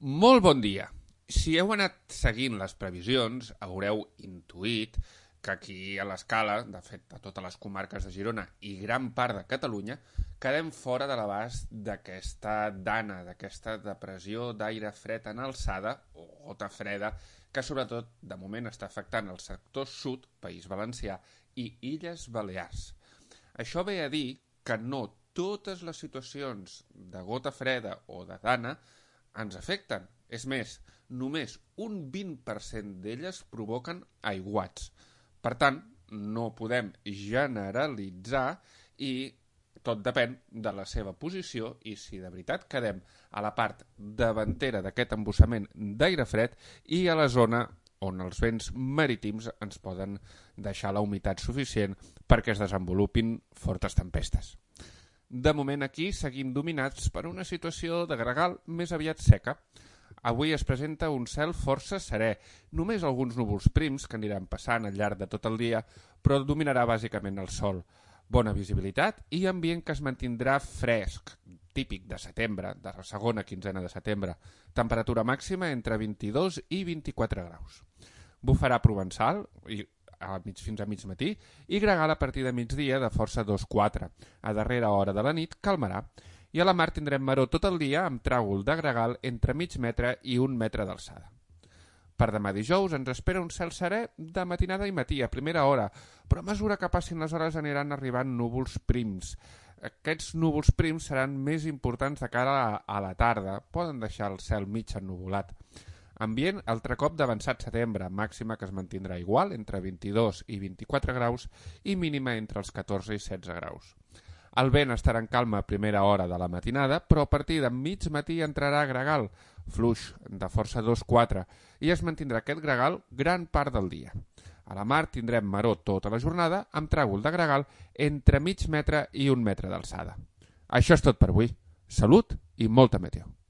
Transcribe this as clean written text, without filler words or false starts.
Molt bon dia. Si heu anat seguint les previsions, haureu intuït que aquí a l'escala, de fet a totes les comarques de Girona i gran part de Catalunya, quedem fora de l'abast d'aquesta dana, d'aquesta depressió d'aire fred en alçada, o gota freda, que sobretot de moment està afectant el sector sud, País Valencià i Illes Balears. Això ve a dir que no totes les situacions de gota freda o de dana ens afecten. És més, només un 20% d'elles provoquen aiguats. Per tant, no podem generalitzar i tot depèn de la seva posició i si de veritat quedem a la part davantera d'aquest embussament d'aire fred i a la zona on els vents marítims ens poden deixar la humitat suficient perquè es desenvolupin fortes tempestes. De moment aquí seguim dominats per una situació de gregal més aviat seca. Avui es presenta un cel força serè, només alguns núvols prims que aniran passant al llarg de tot el dia, però dominarà bàsicament el sol. Bona visibilitat i ambient que es mantindrà fresc, típic de setembre, de la segona quinzena de setembre. Temperatura màxima entre 22 i 24 graus. Bufarà provençal fins a mig matí i gregal a partir de migdia de força 2-4. A darrera hora de la nit calmarà. I a la mar tindrem maror tot el dia amb tràgol de gregal entre mig metre i 1 metre d'alçada. Per demà dijous ens espera un cel serè de matinada i matí a primera hora, però a mesura que passin les hores aniran arribant núvols prims. Aquests núvols prims seran més importants de cara a la tarda, poden deixar el cel mig ennuvolat. Ambient altre cop d'avançat setembre, màxima que es mantindrà igual entre 22 i 24 graus i mínima entre els 14 i 16 graus. El vent estarà en calma a primera hora de la matinada, però a partir de mig matí entrarà gregal, fluix de força 2-4, i es mantindrà aquest gregal gran part del dia. A la mar tindrem maror tota la jornada amb tràgol de gregal entre mig metre i 1 metre d'alçada. Això és tot per avui. Salut i molta meteo.